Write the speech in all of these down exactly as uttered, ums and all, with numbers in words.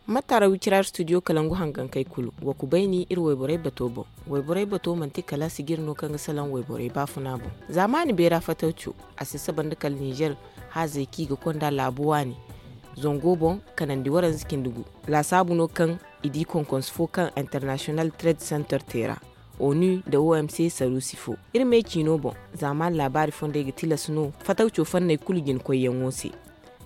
Mataara wicira studio kalangu hangankey kulu, wa kubayni iri wayborey bato boŋ. Wayborey bato manti kala sijiri no kaŋ ga salaŋ wayborey baafuna boŋ. Zaamaani beera fatawco, a si saba nda kala ninzeer haazey kaŋ i ga konda laabu waani zango boŋ, kanandi waranza cindi gu. Laasaabu no kaŋ i di konkonse fo kaŋ international trade center te ra, onu nda omc saruusi fo. Iri me ciino boŋ, zaamaani laabaari fondey ga tilas no fatawco fanney kulu jina koyyaŋo se.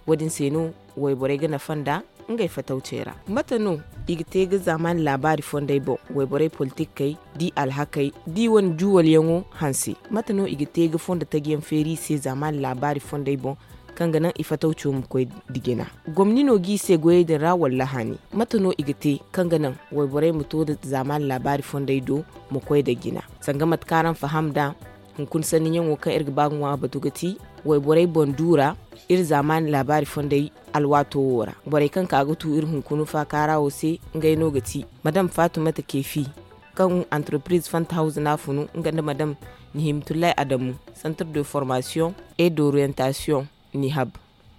Wo- din se no wayborey ga nafa nda ngey fatawcey ra. Mate no i ga te ga zaamaani laabaari fondey boŋ? Wayborey politikey, di alhakey, di wane juwalyaŋo hanse. Mate no i ga te ga fondo tajiyaŋ feeri i se zaamaani laabaari fondey boŋ, kaŋ ga naŋ i fatawco ma koy da jina? Gomni no g'i se goyey din ra walla haani? Mate no i ga te kaŋ ga naŋ wayborey ma to da zaamaani laabaari fondey do, ma koy da jina? Sanga mate kaŋ araŋ faham nd'a, hunkuna sanniyaŋo kaŋ iri ga ba ga ŋwa a batu ga ti wayborey boŋ duura, iri zaamaani laabaari fondey alwaato wo ra. Borey kaŋ ka ga tu iri hunkuna faakaara wo se, ngey no ga ti madam fatumata keefi, kaŋ antarpiriz fanta hawza no a funu nga nda madam nihimtullahi adamu, santar de formasiyoŋ et d'orientasiyoŋ, nihab.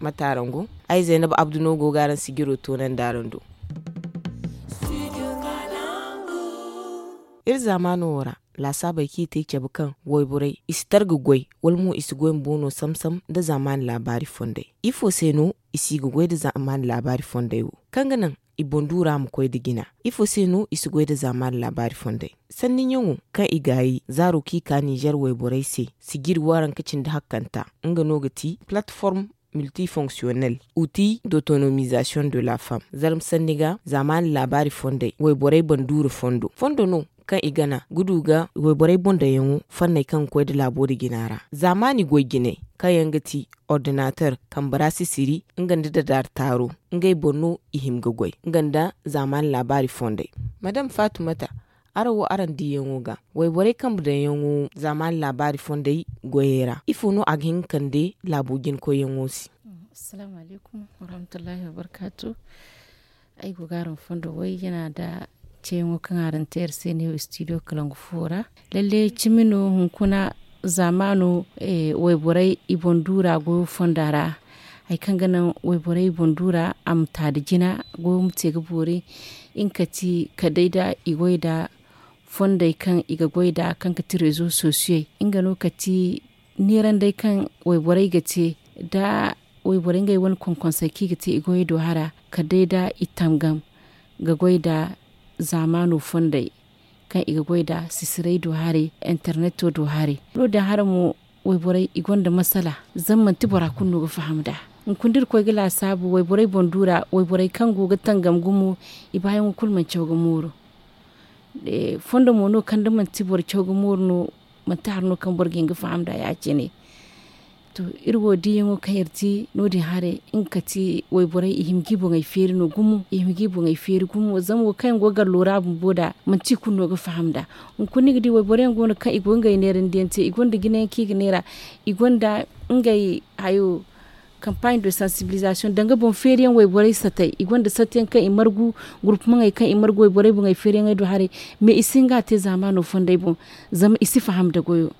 Mate araŋ go? Ay zaynab abdu no go ga araŋ sijiro toonandi araŋ do. Iri zaamaano wo ra, laasaabey kaŋ i te cabe kaŋ wayborey i si targa goy, wala mo i si goy ma boono sam-sam nda zaamaani laabaari fondey. Ifo se no i si ga goy nda zaamaani laabaari fondey wo, kaŋ ga naŋ i boŋ duura ma koy nda jina? Ifo se no i si goy nda zaamaani laabaari fondey? Sanniyaŋo kaŋ i gaayi zaaro kaŋ i ka ninzeer wayborey se, sijiri waranka cindi hakkanta, nga no ga ti plateforme multifonctionnel, outil d'autonomisation de la femme. Zarma sanni ga zaamaani laabaari fondey, wayborey boŋ duura fondo, fondo no kaŋ i gana ga du ga wayborey boŋ daŋyaŋo fanney kaŋ ga koy nda laabo nda jina ra. Zaamaani goy jinay kaŋ yaŋ ga ti ordinater, kambe ra sisiri, nga nda dadaari taaro, ngey boŋ no i hima ga goy, nga nda zaamaani laabaari fondey. Madam fatumata, araŋ wo araŋ diyaŋo ga, wayborey kambe daŋyaŋo zaamaani laabaari fondey goyey ra, ifo no a ga hin ga kande laabo jina koyyaŋo se? Assalaamu alaykum warahmatullahi wabarkaatu. Ay go ga araŋ fondo way yana nda ceeyaŋo kaŋ araŋ te iri se ne wo istidiyo kalangu fo ra. Lalle cimi no hunkuna zaamaano, wayborey i boŋ duura goyo fonda ra. Hari kaŋ ga naŋ wayborey i boŋ duura a ma ta nda jina, goyo ma te ga boori. Nga ka ti kala day nda i goy nda fondey kaŋ i ga goy nd'a kaŋ ga ti rezo sosiyey. Nga no ka ti neerandey kaŋ wayborey ga te nda wayborey ngey wane konkonsey kaŋ i ga te i goyey do hara kala day nda i tangam ga goy nda zaamaano fondey kaŋ i ga goy nda sisirey do haray, interneto do haray. No- din hara mo wayborey i gonda masala zama manti bora kulu no ga faham nd'a. Hunkuna da iri koy ga laasaabu wayborey boŋ duura wayborey kaŋ go ga tangam gumo i baayaŋo kulu mana caw ga mooru. Fondo mo no kaŋ da manti boro caw ga mooru no manti hari no kaŋ boro ga hin ga faham nd'a ya- cine. To, iri wo diyaŋo kaŋ iri te no- din haray nga ka ti wayborey i hima ga i boŋey feeri no gumo i hima ga i boŋey feeri gumo zama wo kaŋ yaŋ go ga gallo ra bumbo nd'a manti i kulu no ga faham nd'a. Hunkuna ni ga di wayborey yaŋ go no kaŋ i go ga ngey neerandiyaŋ te i gonda jinayaŋ kaŋ i ga neera i gonda ngey hayo, kampaaɲ de sansibilizasiyoŋ danga boŋ feeriyaŋ wayborey satey i gonda satey yaŋ kaŋ i margu gurpumaŋey kaŋ i margu wayborey boŋey feeriyaŋey do haray. Mais i si hin ga a te zaamaano fondey boŋ zama i si faham nda goyo.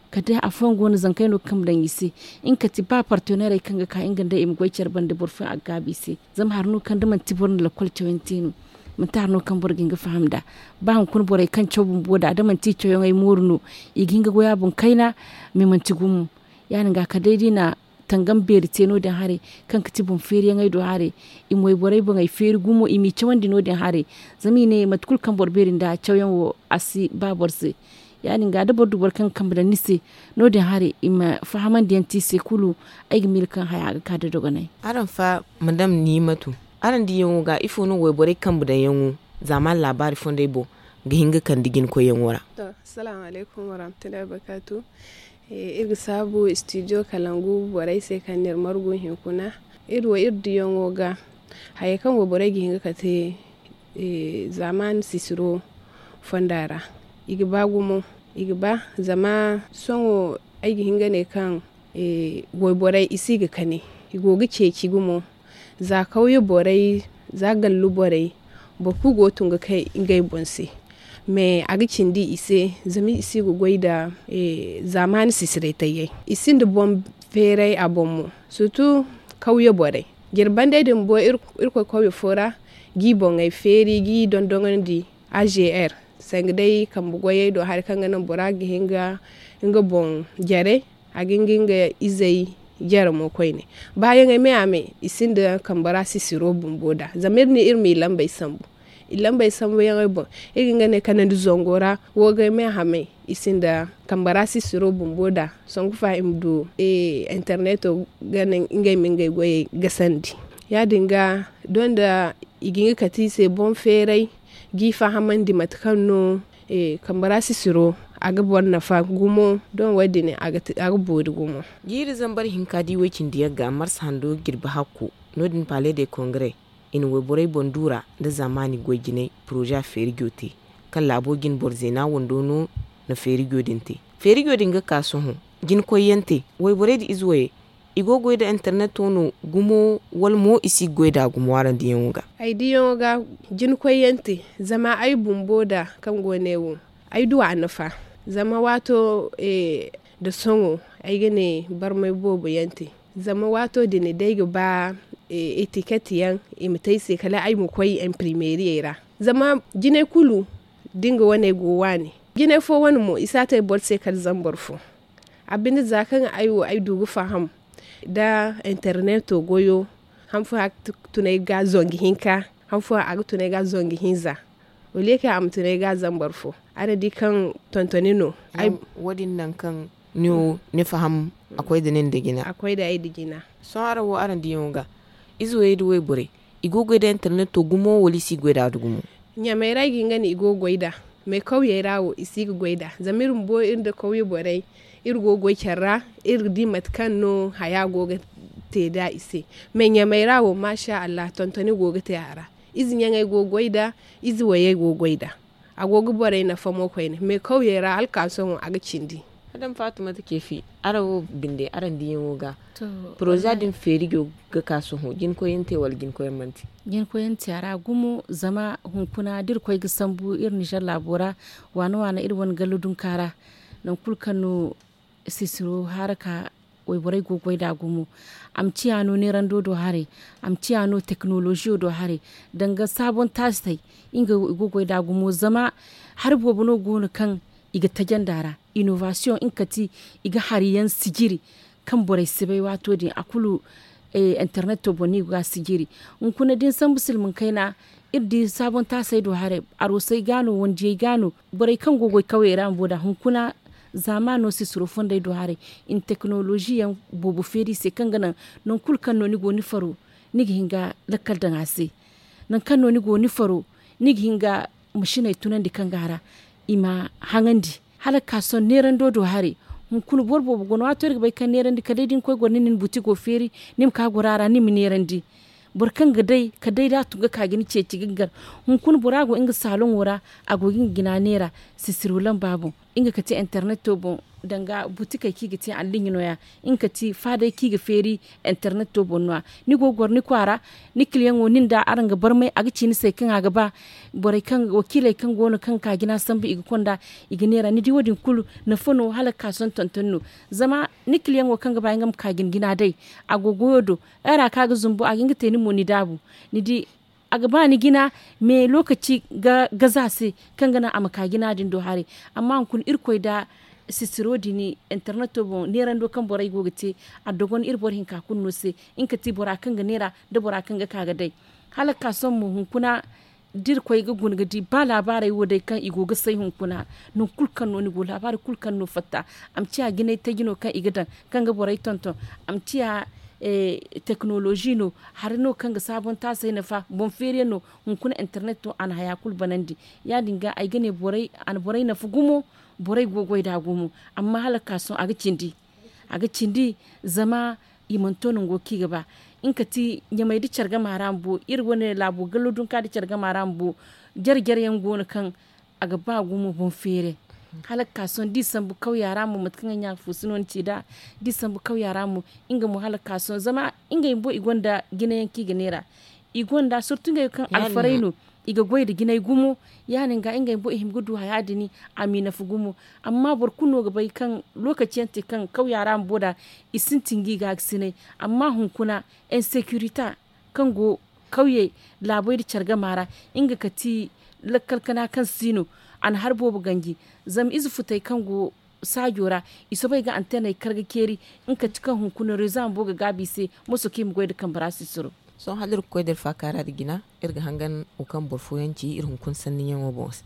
Kala day afooyaŋ go no zankey no ga kambe daŋ i se. Nga ka ti ba parteneerey kaŋ ga ka nga nd'ey i ma goy care banda boro fooyaŋ a ga gaabu i se. Zama hari no kaŋ da manti boro na lakkol cawyaŋ te no manti hari no kaŋ boro ga hin ga faham nd'a. Ba hunkuna borey kaŋ caw bumbo nd'a da manti i cawyaŋey mooru no i ga hin ga goy a boŋ kayna. Mais manti gumo ya- din ga kala day da i na tangam beeri te no- din haray kaŋ ga ti boŋ feeriyaŋey do haray. I ma wayborey boŋey feeri gumo i m'i cawandi no- din haray. Zama i ne mate kulu kaŋ boro beeri nd'a cawyaŋ wo a si ba boro se. Ya- din ga da boro du boro kaŋ ga kambe daŋ ni se no- din haray i ma fahamandi yaŋ te i se kulu. Ay ga miila kaŋ haya ga ka da dogonay. Araŋ fa madam nimatu, araŋ diyaŋo ga ifo no wayborey kambe daŋ yaŋo zaamaani laabaari fondey boŋ ga hin ga kande jina koyyaŋo ra? To, assalaamu alaykum warahmatullahi wabarkaatu. Iri ga saabu istidiyo kalangu borey se kaŋ n'iri margu hinkuna. Iri wo iri diyaŋo ga hayey kaŋ wayborey ga hin ga kate zaamaani sisiro fonda ra. I ga ba gumo i ga ba zama sohõ ay ga hin ga ne kaŋ wayborey i si ga kani i go ga ceeci gumo. Za kawye borey za gallu borey boro kulu go ga tun ga kay ngey boŋ se. Mais a ga cindi i se zama i si ga goy nda zaamaani sisirey tayyey. I sinda boŋ feeray a boŋ mo. Surtu Kawye borey jirbi bandey din bumbo irkoy kawye fo ra, g'i boŋey feeri g'i dondonandi a g r sanga day kambe goyey do hari kaŋ ga naŋ bora ga hin ga nga boŋ jare. A ga hin ga nga izey jare mo koyne. Baayaŋey me a me i sinda kambe ra sisiro bumbo nd'a zama iri ne iri m'i lambey sambu. I lambey sambuyaŋey boŋ iri ga hin ga ne kanandi zango ra. Woogey me a hamey i sinda kambe ra sisiro bumbo nd'a sanku fa i ma du interneto ga naŋ ngey ma ngey goyey gasandi. Ya- din ga doŋ da i ga hin ga kate i se boŋ feeray g'i fahamandi mate kaŋ no kambe ra sisiro a ga boro nafa gumo. Doŋ wo- din a ga boori gumo. Jiiri zambar hinka da i way- cindi yagga marsa hando jirbi hakku no- din pale de kongare i na wayborey boŋ duura nda zaamaani goy jinay poroza feerijo te kaŋ laabo jine boro zeena wando no na feerijo din te. Feerijo din ga ka sohõ jinkoyyaŋ te wayborey nda ize wayey i go ga goy nda interneto no gumo wala mo i si ga goy nd'a gumo araŋ diyaŋo ga? Ay diyaŋo ga jinkoyyaŋ te zama ay bumbo nda kaŋ go ne wo ay du a nafa. Zama waato nda sohõ ay ga ne barmay boobo yaŋ te. Zama waato din da ay ga ba etiket yaŋ i ma te ay se kala ay ma koy imprimeriyey ra. Zama jinay kulu da nga wane go waani jinay fo wane mo i si a te boro se kala zambar fo. A binde za kaŋ ay wo ay du ga faham nda interneto goyo han fooyaŋ a ga tun ay ga zangu hinka han fooyaŋ a ga tun ay ga zangu hinza. Wala ye kaŋ a ma tun ay ga zambar fo araŋ di kaŋ tontoni no. Wo- din nangu kaŋ ni wo ni faham a koy nda nin nda jina. Sohõ araŋ wo araŋ diyaŋo ga ize wayey nda wayborey i go ga goy nda interneto gumo wala i si ga goy nd'a gumo? Ɲamey ra ay ga hin ga ne i go ga goy nd'a. Mais kawyey ra wo i si ga goy nd'a zama iri bumbo iri nda kawye borey iri go ga goy care ra. Iri ga di mate kaŋ no haya go ga te nd'a i se. Mais ɲamey ra wo maasa allah tontoni go ga te a ra. Ize ɲaŋey go ga goy nd'a. Ize wayey go ga goy nd'a. A go ga borey nafa mo koyne mais kawyey ra hala ka sohõ a ga cindi. Madame fatumata keefi araŋ wo binde araŋ diyaŋo ga poroza din feerijo ga ka sohõ jinkoyyaŋ te wala jinkoyyaŋ mana te? Jinkoyyaŋ te a ra gumo zama hunkuna da iri koy ga sambu iri nizer laabo ra waana waana iri wane gallo dunka ra. Nangu kulu kaŋ no sisiro haaraka wayborey go ga goy nd'a gumo. A ma ciya no neerando do haray. A ma ciya no teknoloziyo do haray. Danga saabon taasey nga i go ga goy nd'a gumo zama hari boobo no go no kaŋ i ga tajandi a ra. Inovasiyoŋ nga kate i ga hari yaŋ sijiri kaŋ borey si bay waato din a kulu interneto boŋ no i go ga a sijiri. Hunkuna da ni sambu silmaŋ kayna iri di saabon taasey do haray. Aroosey ga no wandiyey ga no borey kaŋ go ga goy kawyey ra bumbo nd'a hunkuna zaamaano sisiro fondey do haray. I na teknolozi yaŋ boobo feeri i se kaŋ ga naŋ nangu kulu kaŋ no ni go ni faro ni ga hin ga lakkal daŋ a se. Nangu kaŋ no ni go ni faro ni ga hin ga masiney tunandi kaŋ go a ra i ma haŋandi. Hala ga ka sohõ neerando do haray. Hunkuna boro boobo go no waato iri ga bay kaŋ neerandi kala day da ni koy goro ni na ni buti go feeri ni ma ka goro a ra ni ma neerandi. Boro kaŋ ga day ka day da a tun ga ka ga ni ceeci ga gar. Hunkuna bora go nga saaloŋo ra a go ga nga jina neera sisiro lamba boŋ nga kate interneto boŋ. Danga butikey kaŋ i ga te alliɲa no- ya nga kate faadey kaŋ i ga feeri interneto boŋ no- ya. Ni go ga goro ni kwaara ni kiliyaŋo nin da araŋ ga barmay a ga ci ni se kaŋ a ga ba. Borey kaŋ wakiiley kaŋ go no kaŋ ga ka jina sambu i ga konda i ga neera ni di wo- din kulu nafa no hala ga ka sohõ tonton no. Zama ni kiliyaŋo kaŋ ga ba nga ma ka ga ni jina day a go goyo do. Ay ra kaŋ a ga zumbu a ga hin ga te ni mo ni daabu. Ni di a ga ba ni jina. Mais lookaci ga gaza se kaŋ ga naŋ a ma ka jina din do haray. Amma hunkuna irkoy da sisiro din interneto boŋ neerando kaŋ borey go ga te a dogon iri boro hinka kulu no se. Nga kate bora kaŋ ga neera nda bora kaŋ ga ka ga day hala ga ka sohõ mo hunkuna da iri koy ga guna ga di ba laabaarey wo day kaŋ i go ga say hunkuna. Nangu kulu kaŋ no ni go laabaari kulu kaŋ no fatta a ma ciya jinay taji no kaŋ i ga daŋ kaŋ ga borey tonton. A ma ciya teknolozi no hari no kaŋ ga saabontaasey nafa boŋ feeriyaŋ no. Hunkuna interneto a na haya kulu banandi. Ya- din ga ay ga ne a na borey nafa gumo. Borey go ga goy nd'a gumo. Amma hala ga ka sohõ a ga cindi a ga cindi. Zama i mana to nango kaŋ i ga ba nga kate ɲamey nda care gama ra bumbo iri wane laabo gallo dunka nda care gama ra bumbo. Jare jare yaŋ go no kaŋ a ga ba gumo boŋ feeray. Hala ga ka sohõ da i sambu kawya ra mo mate kaŋ ay ɲa ga fuusu no ni ci nd'a. Da i sambu kawya ra mo nga mo hala ga ka sohõ zama ngey bumbo i gonda jinayaŋ kaŋ i ga neera. I gonda surtu ngey wo kaŋ alfarey no. i ga goy nda jinay gumo. Ya- din ga ngey bumbo i hima ga du haya din a m'i nafa gumo. Amma boro kulu no ga bay kaŋ lookaci yaŋ te kaŋ kawya ra bumbo nd'a i sintin ga i gaakasinay. Amma hunkuna insekirita kaŋ go kawyey laabey nda care gama ra, nga kati lakkal kana kaŋ si no a na hari boobo ganji. Zama ize futey kaŋ go saajo ra i soobay ga anteney kar ga ceeri. Nga kati kaŋ hunkuna rezo a ma bo ga gaabu i se moso kaŋ i ma goy nda kambe ra sisiro. Sohõ hala iri ga koy da iri faakaara nda jina, iri ga hangan wo kaŋ boro fooyaŋ ci iri hunkuna sanniyaŋo boŋ se.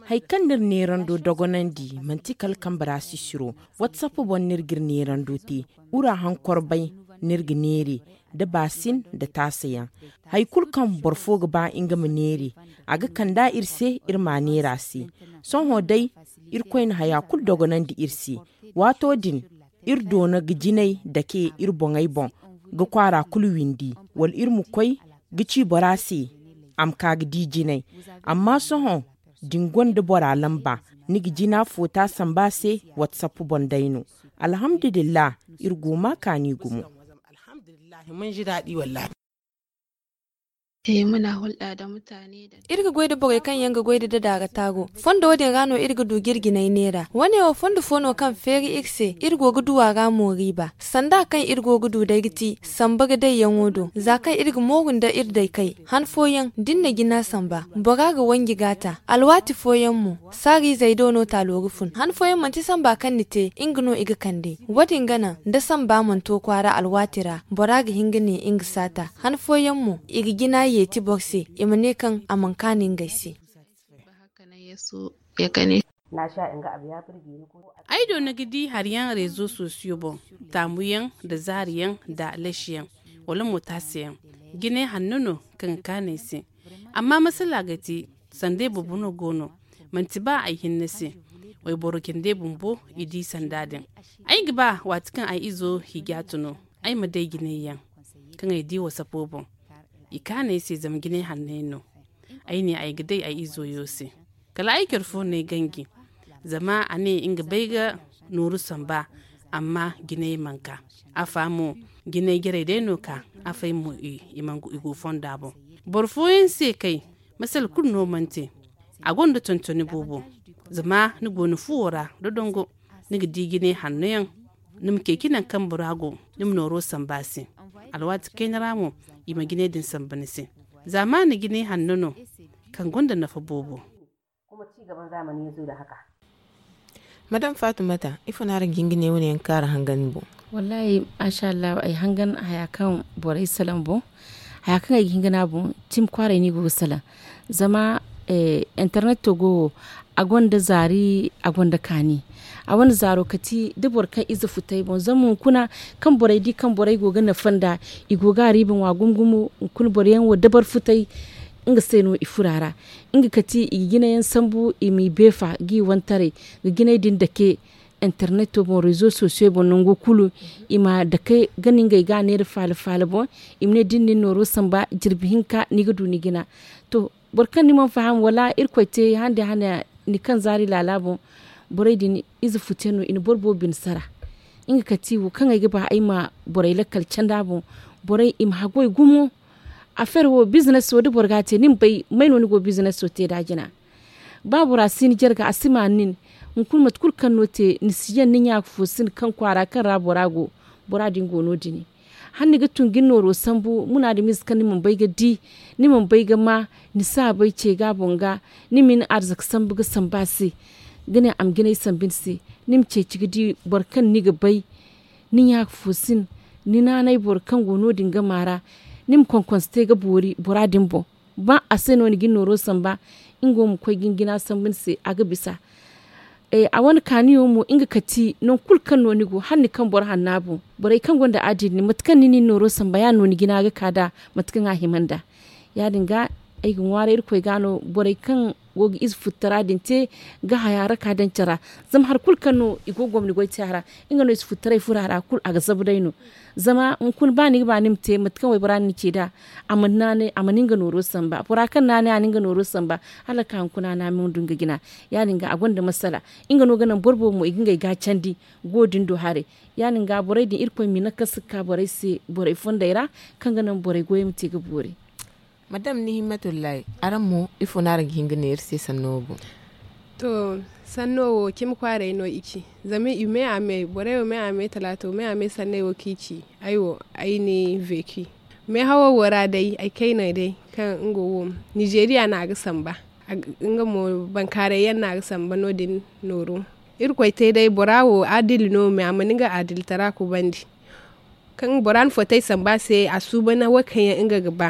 Hari kaŋ no iri neerando dogonandi manti kala kambe ra sisiro. Watsap boŋ no iri ga iri neerando te. Wura haŋ korbay no iri ga neere nda baasin nda taasa yaŋ. Hari kulu kaŋ boro fo ga ba nga ma neere, a ga kand'a iri se iri m'a neer'a se. Sohõ day, irkoy na haya kulu dogonandi iri se. Waato din, iri doona ga jinay dake iri boŋey boŋ ga kwaara kulu windi, wala iri ma koy ga ci bora se a ma ka ga di jinay. Amma sohõ, da ni gonda bora lamba, ni ga jina foota samba a se. Watsap boŋ day no. Alhamdulillah, iri go ma kaani gumo. Iri ga goy nda borey kaŋ yaŋ ga goy nda dadaara taago. Fondo din ra no iri ga du ga iri jinay neera. Wane wo fondo fo no kaŋ feeri iri se iri go ga du a ra mo riiba. Sanda kaŋ iri go ga du day ga ti samba ga dayyaŋo do za kaŋ iri ga mooru nda iri daykey. Han fooyaŋ da ni na jina samba, bora ga wanji g'a ta. Alwaati fooyaŋ mo, saariizey do no taalo ga fun. Han fooyaŋ manti samba kaŋ ni te nga no i ga kande. Wo- din ga naŋ da samba mana to kwaara alwaati ra, bora ga hin ga ne nga si a ta. Han fooyaŋ mo, i ga jina yeeti boro se, i ma ne kaŋ a mana kaanu ngey se. Ay do ni ga di hari yaŋ reezo sosiyo boŋ, taamuyaŋ nda zaariyaŋ nda lasiyaŋ, wala mo taasiyaŋ. Jinay hanno no kaŋ ga kaanu ay se. Amma masala ga ti, sanda ay bumbo no go no, manti ba ay hinne se. Wayboro cindey bumbo i di sanda din. Ay ga ba waati kaŋ ay izo hijatu no, ay ma day jinay yaŋ kaŋ ay di wasapo boŋ. I kaanu ay se zama jinay hanney no. Ay ne ay ga day ay izo yo se. Kala ay care fo no ay ganji, zama a ne nga bay ga nooru samba, amma jinay mana ka. Afa mo, jinay jarey day no ka. Afay mo, i mana go fonda boŋ. Boro fooyaŋ se kay, masala kulu no mana te. A gonda tontoni boobo. Zama ni go ni fuwo ra dodongo, ni ga di jinay hanno yaŋ. Ni ma ceeci nangu kaŋ bora go, ni ma nooro samba a se. Alwaati kayna ra mo, i ma jinay din samba ni se. Zama ni jinay hanno no kaŋ gonda nafa boobo. Madam fatumata, ifo no araŋ ga hin ga ne wane yaŋ kaŋ araŋ hangan ni boŋ? Wallaahi, maasa allah, ay hangan haya kaŋ borey salaŋ boŋ. Haya kaŋ ay ga hin ga ne a boŋ, tim kwaaray no i go ga salaŋ. Zama interneto go wo, a gonda zaari, a gonda kaani. A wane zaaro kati da boro kaŋ ize futay boŋ zama hunkuna, kaŋ borey di kaŋ borey go ga nafa nd'a, i go ga a riiba ŋwa gumo gumo. Hunkuna boro yaŋ wo dabar futay, nga se no i furo a ra. Nga kati i ga jinayaŋ sambu i m'i beefa g'i wantaray, ga jinay din dake interneto boŋ, rezo sosiyo boŋ nango kulu. I ma dake ga ne ngey ga a neera faala faala boŋ. I ma ne da ni na ni nooro samba jirbi hinka ni ga du ni jina. To, boro kaŋ ni mana faham wala irkoy te hande hane, ni kaŋ zaari laala boŋ, borey din ize futeyaŋ no, i na boro boobo bine sara. Nga kati wo kaŋ ay ga ba ay ma borey lakkal candi a boŋ. Borey i ma haggoy gumo. Afeer wo bizines wo da boro ga a te ni ma bay may no ni go bizines wo te nd'a jina. Ba bora si ni jarga a si ma nin. Hunkuna mate kulu kaŋ no te ni si yaŋ ni ɲa fo si ni kaŋ kwaara kaŋ ra bora go. Bora din go no- din. Hala ni ga tun ga ni nooro sambu munaadamiize kaŋ ni mana bay ga di, ni mana bay ga ma, ni si a bay ce ga a boŋ ga. Ni ma ni arzaka sambu ga sambu a se, ga ne a ma jinay sambu ni se. Ni ma ceeci ga di boro kaŋ ni ga bay. Ni ɲa fo si ni, ni naanay boro kaŋ go no- din gama ra. Ni ma konkonse te ga boori bora din boŋ. Ba a se no ni ga ni nooro samba, nga wo ma koy ga ni jina sambu ni se a ga bisa. A wane kaaniyo mo nga kati nangu kulu kaŋ no ni go hala ni kaŋ boro hanna boŋ. Borey kaŋ gonda adilli mate kaŋ ni na ni nooro samba ya- din no ni jina ga ka nd'a. Mate kaŋ a hima nd'a. Ya- din ga ay ga ŋwaaray irkoy ga no borey kaŋ go ga ize futtara din te ga haya ra ka daŋ care ra. Zama hari kulu kaŋ no i go ga gomni goy te a ra, nga no ize futtaray furo a ra kulu a ga zabu day no. Zama hunkuna ba ni ga ba ni ma te mate kaŋ waybora na ni ce nd'a, a mana naanay a mana nga nooro samba bora kaŋ naanay a na nga nooro samba, hala ga ka hunkuna a naamay ma du nga jina. Ya- din ga a gonda masala. Nga no ga naŋ boro boobo mo i ga ngey ga candi go din do haray. Ya- din ga borey din irkoy ma i nakasi ga ka borey se borey fondey ra, kaŋ ga naŋ borey goyey ma te ga boori. Madam ni himmatullahi, araŋ mo ifo no araŋ ga hin ga ne iri se sanno wo boŋ? To, sanno wo cimi kwaaray no i ci. Zama i me a me borey wo me a me talaato me a me sanney wo kaŋ i ci. Ay wo ay ni veeki meehawo wo ra day ay kayney day, kaŋ nga wo nizeeriya no a ga samba. Nga mo bankaaray yaŋ no a ga samba no- din nooru. Irkoy te day bora wo adili no me a mana nga adilitara kubandi. Kaŋ bora na fotey samba a se a suuban wo kaŋ yaŋ nga ga ba.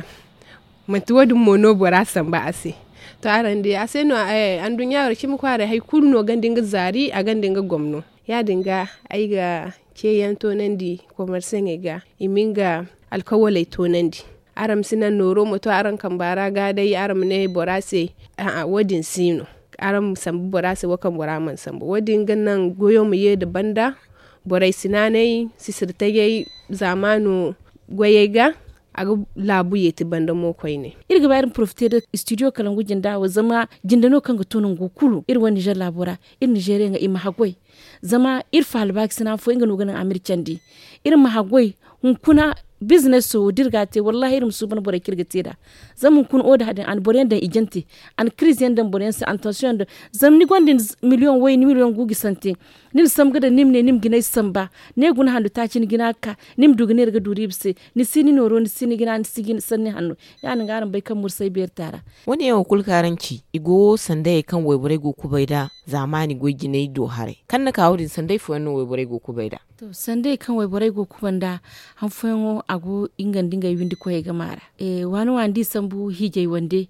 Manti wo- din mo no bora samba a se. To araŋ di a se no anduɲɲa wo ra cimi kwaaray hari kulu no gonda nga zaari a gonda nga gomno. Ya- din ga ay ga ceeyaŋ toonandi komarsaŋey ga i ma nga alkawaley toonandi. Araŋ ma si naŋ nooro ma to araŋ kamba ra ga day araŋ ma ne bora se. A'a wo- din si no. Araŋ ma sambu bora se wo kaŋ bora mana sambu wo- din ga naŋ goyo ma ye nda banda. Borey si naanay sisiri tajay zaamaano goyey ga. A ga laabu yeeti banda mo koyne. Iri ga ba iri ma porofite nda studio kalangu jinda wo zama jinda no kaŋ ga to nangu kulu iri wane nizer laabo ra. Iri nizeeriyaŋey i ma haggoy. Zama iri faalbaakasina fo nga no ga naŋ a ma iri candi. Iri ma haggoy. Hunkuna bizneso wo da iri ga a te wallaahi iri ma suuban borey kaŋ iri ga te nd'a. Zama hunkuna oda din a na boro yaŋ daŋ ijante. A na kiriz yaŋ daŋ boro yaŋ se a na tansiyoŋ yaŋ daŋ. Zama ni gonda ni miliyoŋ way ni miliyoŋ guuji sante. Ni na sambu ga daŋ ni ma ne ni ma jinay samba. Ne guna handu taaci ni jina ga ka. Ni ma du ga neera ga duuri iba se. Ni si ni nooro ni si ni jina ni si jina sanni hanno. Ya- din ga araŋ bay kaŋ mursay beeri taara. Wane yaŋo kulu kaŋ araŋ ci i go sandayey kaŋ wayborey go ga kubay nd'a. Zaamaani goy jinay do haray kaŋ ni ka wo- din sanday fooyaŋ no wayborey go ga kubay nd'a. To sanday kaŋ wayborey go ga kubay nd'a. Han fooyaŋo a go nga nda ngey windi koyey ga maara. Waani waani da i sambu hiijay wande.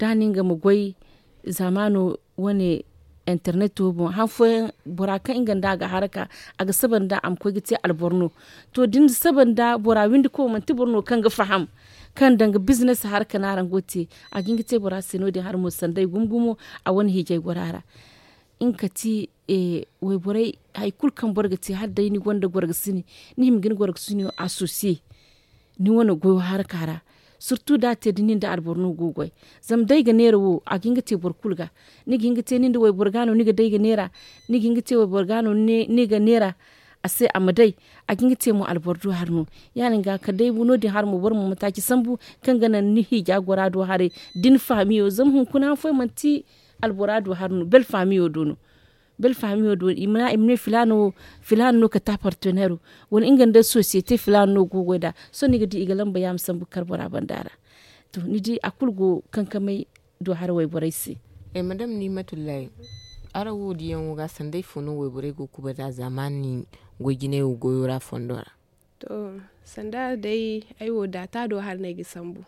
Da a na nga ma goy zaamaano wane interneto boŋ han fooyaŋ bora kaŋ nga nda a ga haraka a ga saba nda a ma koy ga te alboro no. To da ni saba nda bora windi koy manti boro no kaŋ ga faham kaŋ danga bizines haraka no araŋ go ga te. A ga hin ga te bora se no- din hari mo sanday gumo gumo. A wane hiijay gora ra nga kati wayborey hari kulu kaŋ boro ga te hala day ni gonda gorgasini ni hima ga ni gorgasino asosiye. Ni wane goyo haraka ra. Surtu da a te da nin da alboro no go ga goy. Zama day ga neera wo a ga hin ga te boro kulu ga. Ni ga hin ga te nin da wayboro ga no ni ga day ga neera. Ni ga hin ga te wayboro ga no ni ga neera. A se a ma day. A ga hin ga te mo alboro do hari no. Ya- din ga kala day no- din hari mo boro ma mataaci sambu kaŋ ga naŋ ni hiija gora do haray. Da ni fahamiyo zama hunkuna han fooyaŋ manti albora do hari no bel fahamiyo do no. Bel fahamiyo do i ma ne filaana wo filaana no kate a parteneero. Wala nga nda sosiyete filaana no go ga goy nd'a. Sohõ ni ga di i ga lamba ya ma sambu ga kar bora banda ra. To ni di a kulu go kankamey do hari wayborey se. Madam nimatullahi, araŋ wo diyaŋo ga sanday fo no wayborey go ga kubay nd'a zaamaani goy jinay wo goyo ra fondo ra? To sanda day ay wo daata do hari no ay ga sambu.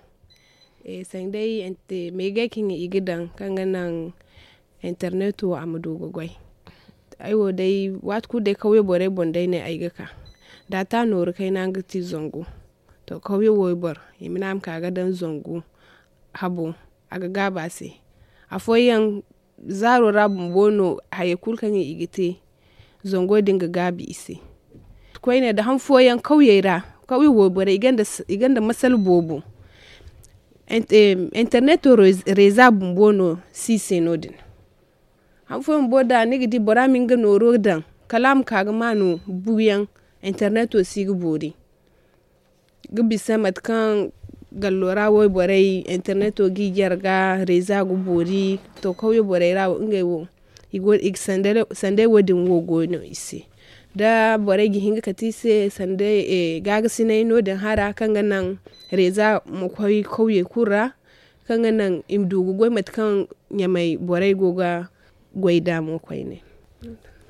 Sanday meegay kaŋ i ga daŋ kaŋ ga naŋ interneto a ma du ga goy. Ay wo day waati kulu day kawye borey boŋ day no ay ga ka. Daata nooru kayna nga ti zangu. To kawye wayboro i ma ne a ma ka ga daŋ zangu. Habo a ga gaabu a se. Afooyaŋ zaaro ra bumbo no hayey kulu kaŋ i ga te. Zango din ga gaabu i se. Koyne nda han fooyaŋ kawyey ra kawye wayborey i gonda masala boobo. Interneto reeza bumbo no si i se no- din. Han fooyaŋ bumbo da ni ga di bora ma nga nooro daŋ kala a ma ka ga ma no buuyaŋ. Interneto si ga boori ga bisa mate kaŋ gallo ra wayborey interneto ga i jarga reeza ga boori. To kawye borey ra wo ngey wo i ga sanday wo- din wo go no i se. Da borey ga hin ga kate i se sanday gaagasinay no- din hara kaŋ ga naŋ reeza ma koy kawyey kulu ra kaŋ ga naŋ i ma du ga goy mate kaŋ ɲamey borey go ga goy nd'a mo koyne.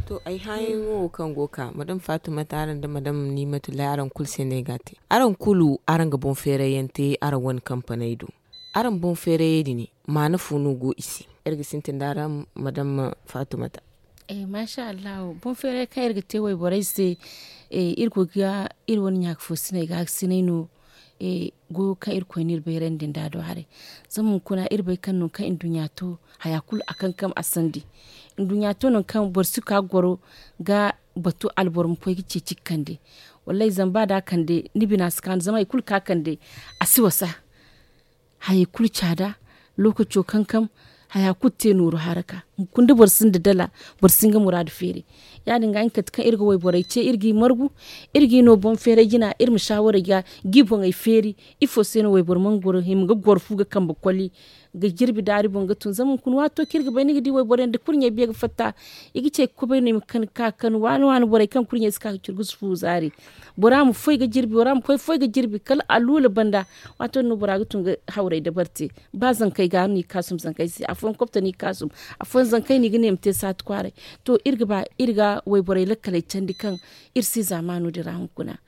To ay hããyaŋo wo kaŋ go ga ka madame fatumata araŋ nda madame nimatullahi araŋ kulu se no ay ga a te. Araŋ kulu araŋ ga boŋ feerayyaŋ te araŋ wane kampaney do. Araŋ boŋ feerayey din maana fo no go i se? Iri ga sintin da araŋ madame fatumata. Masha allahu boŋ feeray kaŋ iri ga te wayborey se. Iri go ga iri wane ɲaaka fo sinay gaakasinay no. Goyo kaŋ irkoy no iri bayrandi nd'a do haray. Zama hunkuna iri bay kaŋ nangu kaŋ nduɲɲa to, haya kulu a kankam a sandi. Nduɲɲa to nangu kaŋ boro si ka ga goro ga batu alboro ma koy ga ceeci ga kande. Wallaahi zama ba da a kande ni bina si kaanu zama hari kulu kaŋ a kande, a si wasa. Hayey kulu caada, lookaco kankam, haya kulu te nooru haraka. Hunkuna da boro sinda dala, boro si hin ga muraadu feeri. Ya- din ga nga kate kaŋ iri ga wayborey ce iri g'i margu, iri g'i no boŋ feeray jina iri ma saawaray ga g'i boŋey feeri. Ifo se no wayboro mana goro hima ga goro fu ga kambe koli, ga jirbi daari boŋ ga tun zama hunkuna waato kaŋ iri ga bay ni ga di wayboro yaŋ da kurɲey biya ga fatta. I ga ce ga kobay no i ma kani ka kani waani waani borey kaŋ kurɲey si ka ga curu ga si fu zaari. Bora ma foy ga jirbi bora ma koy foy ga jirbi kala aluula banda. Waato din no bora ga tun ga hawray dabari te. Ba zankey ga no i ga kaasum zankey se afooyaŋ kobta no i ga kaasum. Afooyaŋ zankey no i ga ne i ma te saati kwaaray. To iri ga ba iri ga wayborey lakkaley candi kaŋ iri si zaamaano din ra hunkuna.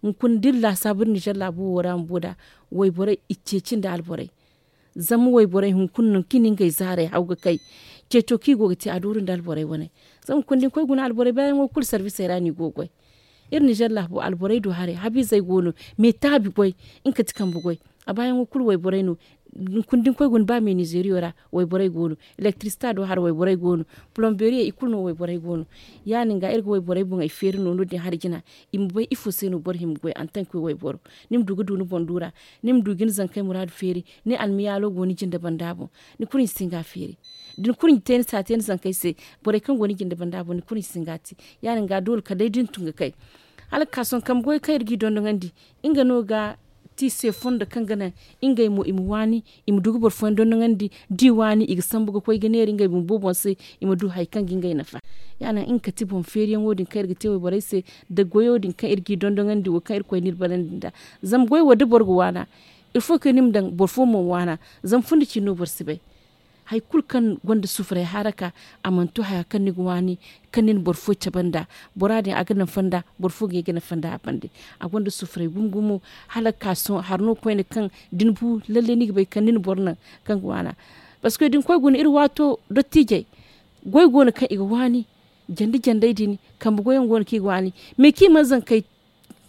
Hunkuna da iri laasaabu iri nizer laabu wo ra bumbo nd'a, wayborey i ceeci nda alborey. Zama wayborey hunkuna nangu kaŋ i na ngey zaarey haw ga kay. Ceeco kaŋ i go ga te a dooru nda alborey wane. Zama hunkuna da ni koy guna alborey baayaŋo kulu sarvisey ra no i go ga goy. Iri nizer laabo alborey du haray habiizey go no, meetaabi goy, nga kate kambe goy. A baayaŋo kulu wayborey no. Hunkuna da ni koy guna ba me nizeriyo ra, wayborey go no. Elektirisita do haray wayborey go no. Polomberiye i kulu no wayborey go no. Ya- din ga iri ga wayborey boŋey feeri no no- din hari jina. I ma bay ifo se no boro hima ga goy antanke wayboro. Ni ma du ga du ni boŋ du ra. Ni ma du ga ni zankey muraadu feeri. Ni almiyaalo go ni jinde banda boŋ. Ni kurɲe si hin ga a feeri. Da ni kurɲe te ni si a te ni zankey se. Borey kaŋ go ni jinde banda boŋ ni kurɲe si hin ga a te. Ya- din ga doole kala day da ni tun ga kay. Hala ga ka sohõ kambe goy kaŋ iri g'i dondoŋandi, nga no ga ti se fondo kaŋ ga naŋ ngey mo i ma waani, i ma du ga boro fooyaŋ dondoŋandi. Da i waani i ga sambu ga koy ga neera ngey bumbo boŋ se. I ma du hari kaŋ ga ngey nafa. Ya- din nga kate boŋ feeriyaŋo din kaŋ iri ga te wayborey se, nda goyo din kaŋ iri g'i dondoŋandi wo kaŋ irkoy no iri barandi nd'a. Zama goy wo da boro ga waana, ilfo kaŋ ni ma daŋ boro fo mo ma waana. Zama fundi cine no boro si bay. Hari kulu kaŋ gonda sufuray haraka, a mana to haya kaŋ ni ga waani, kaŋ ni na boro fo cabe nd'a. Bora din a ga nafa nd'a, boro fo ga ye ga nafa nd'a a bande. A gonda sufuray gumo gumo. Hala ga ka sohõ hari no koyne kaŋ da ni bu lalle ni ga bay kaŋ ni na boro naŋ kaŋ ga waana. Parceque da ni koy guna iri waato dottiijey, goy go no kaŋ i ga waani. Jande jandey din, kambe goyaŋ go no kaŋ i ga waani. Mais kaŋ i mana zankey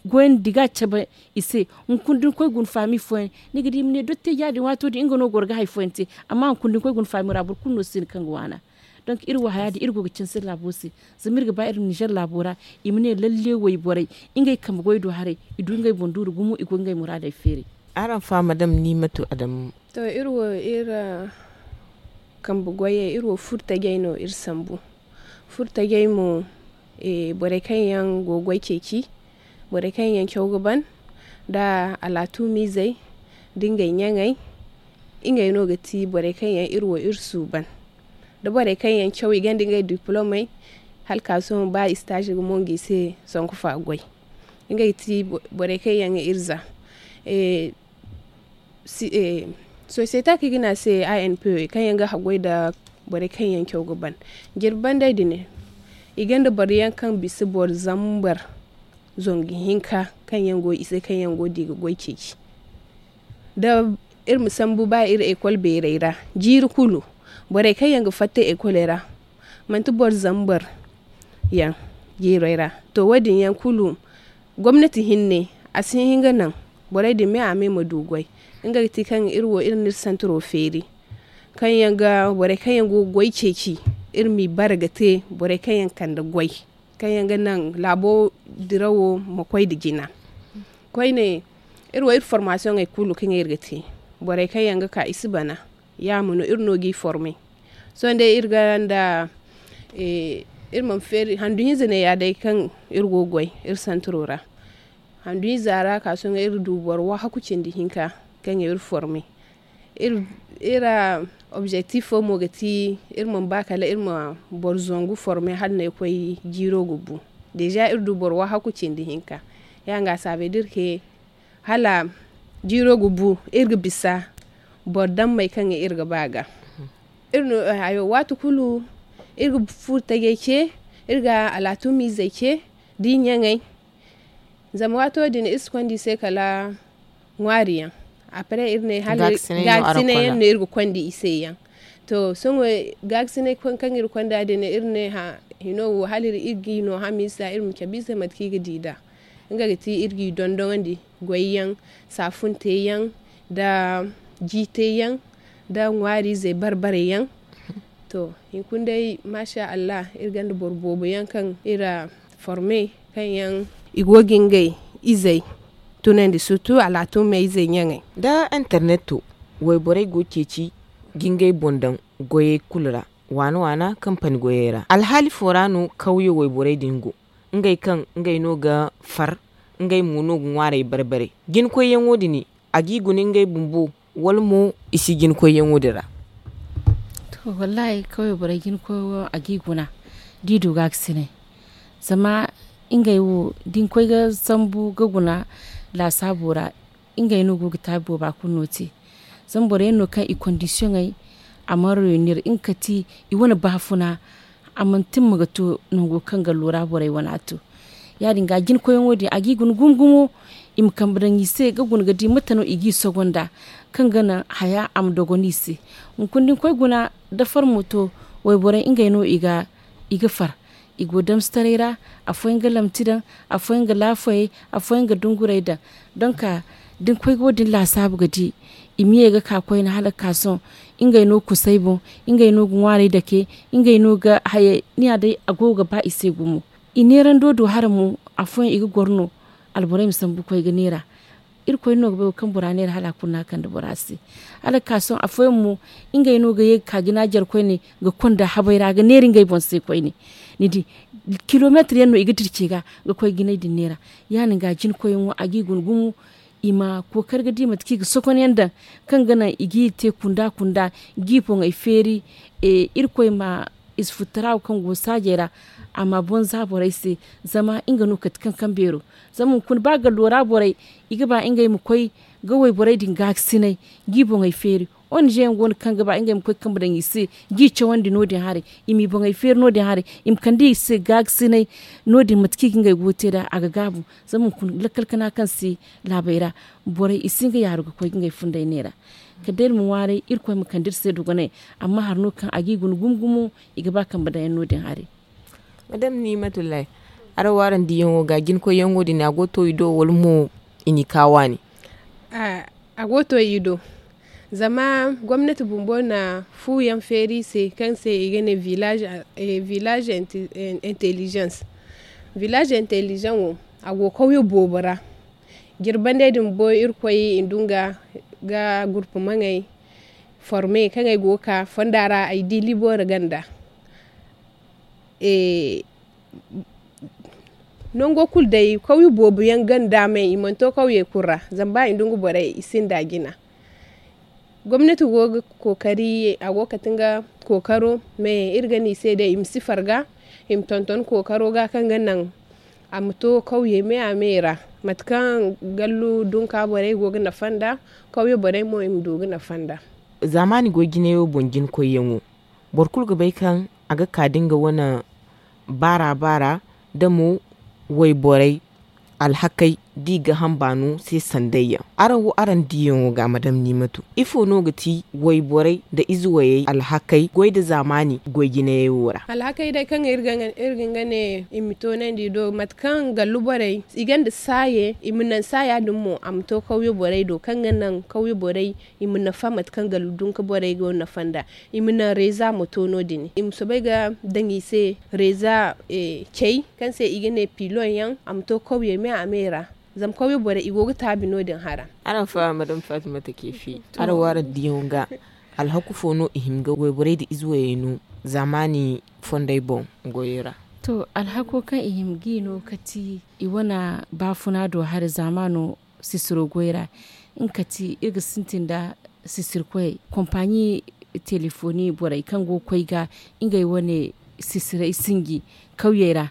goyandi ga cabe i se. Hunkuna da ni koy guna faami fooyaŋ, ni ga di i ma ne dottiija din waato din nga no goro ga hari fooyaŋ te. Amma hunkuna da ni koy guna faami ra boro kulu no si no kaŋ ga waana. Donk iri wo haya din iri go ga canse laabo se. Zama iri ga ba iri ma nizer laabo ra, i ma ne lalle wayborey, ngey kambe goy do haray, i du ngey boŋ duuru gumo i go ga ngey muraadey feeri. Araŋ fa madam nimatu adamu. To iri wo iri kambe goyey iri wo furo tajey no iri sambu. Furo tajey mo, borey kaŋ yaŋ go ga goy ceeci, borey kaŋ yaŋ caw ga ban, nda alaatuumiizey, nda ngey ɲaŋey. Ngey no ga ti borey kaŋ yaŋ iri wo iri suuban. Da borey kaŋ yaŋ caw i gonda ngey diplomey, hala ka sohõ ba istaazi ga mongo i se, sanku fa goy. Ngey ga ti borey kaŋ yaŋ ga iri za. Sosiyete kaŋ i ga ne a se a n p kaŋ yaŋ ga haggoy nda borey kaŋ yaŋ caw ga ban. Jirbi bandey din, i gonda boro yaŋ kaŋ bisa boro zambar zangu hinka kaŋ yaŋ go i se kaŋ yaŋ go ga di ga goy ceeci. Da iri ma sambu ba iri ekol beerey ra, jiiri kulu, borey kaŋ yaŋ ga fatta ekoley ra, manti boro zambar yaŋ jiirey ra. To wo- din yaŋ kulu, gomnati hinne, a si hin ga naŋ borey din me a me ma du goy. Nga ga ti kaŋ iri wo iri na iri santiro feeri, kaŋ yaŋ ga borey kaŋ yaŋ go ga goy ceeci, iri m'i bare ga te borey kaŋ yaŋ kande goy, kaŋ yaŋ ga naŋ laabo dirawo ma koy nda jina. Koyne, iri wo iri formaasiyoŋey kulu kaŋ iri ga te, borey kaŋ yaŋ ga ka i si bana, yaamo no iri no g'i forme. Sohõ day iri ga nda iri mana feeri handu hinza ne ya day kaŋ iri go ga goy iri santiro ra. Handu hinza ra ka sohõ iri du boro waahaku cindi hinka kaŋ yaŋ iri forme. Iri objektifo mo ga ti iri mana ba kala iri ma boro zangu forme hala no ay koy jiiro ga bu. Deeza iri du boro waahaku cindi hinka. Ya- din ga a saabay da iri ke hala jiiro ga bu, iri ga bisa boro dammey kaŋ iri ga ba ga. Iri no hayo waati kulu, iri ga furo tajey ce, iri ga alaatumiizey ce, da i ɲaŋey. Zama waato din iri si konda i se kala ŋwaari yaŋ. Apre iri ne hala gaakasinay yaŋ no iri ga konda i se yaŋ. To sohõ gaakasinay kaŋ iri konda din iri ne hino wo hala iri ga i no hamiisa iri ma cabe i se mate kaŋ i ga di nd'a. Nga ga ti iri g'i dondonandi goy yaŋ, saafunte yaŋ, nda jiite yaŋ, nda ŋwaari izey barbare yaŋ. To, hunkuna day, maasa allah, iri gonda boro boobo yaŋ kaŋ iri a forme, kaŋ yaŋ i go ga ngey izey tunandi surtu alaatumey izey ɲaŋey. Da interneto, wayborey go ga ceeci ga ngey boŋ daŋ goyey kulu ra, waana waana kampani goyey ra. Alhaali fo ra no kawye wayborey din go, ngey kaŋ ngey no ga far, ngey mo no ga ŋwaarey bare bare. Jinakoyyaŋo din, a g'i guna ngey bumbo, wala mo i si jinakoyyaŋo din ra? To, wallaahi kawye borey jinakoyyaŋo a g'i guna, da i du gaakasinay. Zama ngey wo da ni koy ga sambu ga guna laasaabo ra, ngey no go ga taabi booba kulu no te. Zama boro yaŋ no kaŋ i kondisiyoŋey a mana reenir nga ka ti i wane baafuna, a mana timma ga to nango kaŋ gallo ra borey wane a to. Ya- din ga jinakoyyaŋo din a g'i guna gumo gumo, i ma kambe daŋ i se ga guna ga di mate no i g'i sogo nd'a, kaŋ ga naŋ haya a ma dogon i se. Hunkuna da ni koy guna, da farmo to, wayborey ngey no i ga far, i go damsitaray ra, afooyaŋ ga lamti daŋ, afooyaŋ ga laafayey, afooyaŋ ga dungurey daŋ. Donk, da ni koy ga wo- din laasaabu ga di, i ma ye ga ka koyne hala ga ka sohõ, ngey no ga kusay boŋ, ngey no ga ŋwaarey dake, ngey no ga hayey ni ya day a go ga ba i se gumo. I neerando do hara mo, afooyaŋ i ga goro no, alborey ma sambu ga koy ga neera. Irkoy no ga bay wo kaŋ bora neera hala a kulu no a kande bora se. Hala ga ka sohõ afooyaŋ mo, ngey no ga ye ga ka jina jare koyne ga konda habey ra ga neera ngey boŋ se koyne. Ni di, kilomeetir yaŋ no i ga dirce ga ga koy jinay din neera. Ya- din ga jinakoyyaŋo a g'i guna gumo, i ma kookari ga di mate kaŋ i ga sokonyaŋ daŋ, kaŋ ga naŋ i g'i te kunda kunda, g'i boŋey feeri. Irkoy ma ize futtara wo kaŋ go saajey ra, a ma boŋ za borey se, zama nga no kate kaŋ kaŋ beero. Zama hunkuna ba gallo ra borey, i ga ba ngey ma koy ga wayborey din gaakasinay, g'i boŋey feeri. Ong yaŋ go no kaŋ ga ba ngey ma koy kambe daŋ i se, g'i cawandi no- din haray, i m'i boŋey feeri no- din haray, i ma kande i se gaakasinay. No- din mate kaŋ i ga ngey go ga te nd'a a ga gaabu. Zama hunkuna lakkal kana kaŋ si laabey ra, borey i si hin ga yaaru ga koy ga ngey funday neera. Kala day iri ma ŋwaaray irkoy ma kande iri se dogonay. Amma hari no kaŋ a g'i guna gumo gumo, i ga ba kambe daŋ yaŋ no- din haray. Madam ni matullahi, araŋ wo araŋ diyaŋo ga jinakoyyaŋo din a go ga to i do wala mo i n'i ka waani? A go ga to i do. Zama gomnati bumbo na fu yaŋ feeri i se kaŋ se i ga ne village intelligence. Village intelligence wo, a go kawye boobo ra. Jirbandey din bumbo irkoy i ndu nga ga gurpumaŋey forme kaŋ ay go ga ka fonda ra ay di libooro ganda. Nango kulu day kawye boobo yaŋ ganda me i mana to kawye kulu ra. Zama ba i ndu nga borey i sinda jina. Gomnati go ga kookari a go ga kate nga kookaro. Me iri ga ne i se day i ma si farga, i ma tonton kookaro ga kaŋ ga naŋ a ma to kawye me a me ra. Mate kaŋ gallu dunka borey go ga nafa nd'a, kawye borey mo i ma du ga nafa nd'a. Zaamaani goy jinayo boŋ jinakoyyaŋo, boro kulu ga bay kaŋ a ga ka da nga wane baara baara, da mo wayborey alhakey da i ga hanbaano se sandayyaŋ. Araŋ wo araŋ diyaŋo ga madam nimatu, ifo no ga ti wayborey nda ize wayey alhakey goy nda zaamaani goy jinayey wo ra? Alhakey day kaŋ iri ga nga ne i ma toonandi i do mate kaŋ gallu borey i gonda saaye i ma naŋ saaya din mo a ma to kawye borey do kaŋ ga naŋ kawye borey i ma nafa mate kaŋ gallu dunka borey go nafa nda. I ma naŋ reeza ma to no- din i ma soobay ga daŋ i se reeza cey kaŋ se i ga ne piloŋ yaŋ a ma to kawyey me a me ra. Zama kawye borey i go ga taabi no- din hara. Araŋ faham madam fatima take fi araŋ wo araŋ diyaŋo ga alhaku fo no i hima ga wayborey nda ize wayey no zaamaani fondey boŋ goyey ra? To alhako kaŋ i hima ga i no kati i wane baafuna do hari zaamaano sisiro goy ra. Nga kati iri ga sintin nda sisirkoyey kompaɲi teleefoni borey kaŋ go ga koy ga ngey wane sisirey sinji kawyey ra.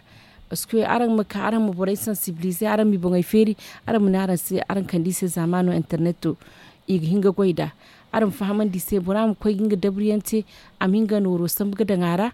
Parceque araŋ ma ka araŋ ma borey sansibiliize araŋ m'i boŋey feeri, araŋ ma ne araŋ se araŋ kande i se zaamaano interneto i ga hin ga goy nd'a. Araŋ ma fahamandi i se bora ma koy ga nga dabriyaŋ te a ma hin ga nooro sambu ga daŋ a ra.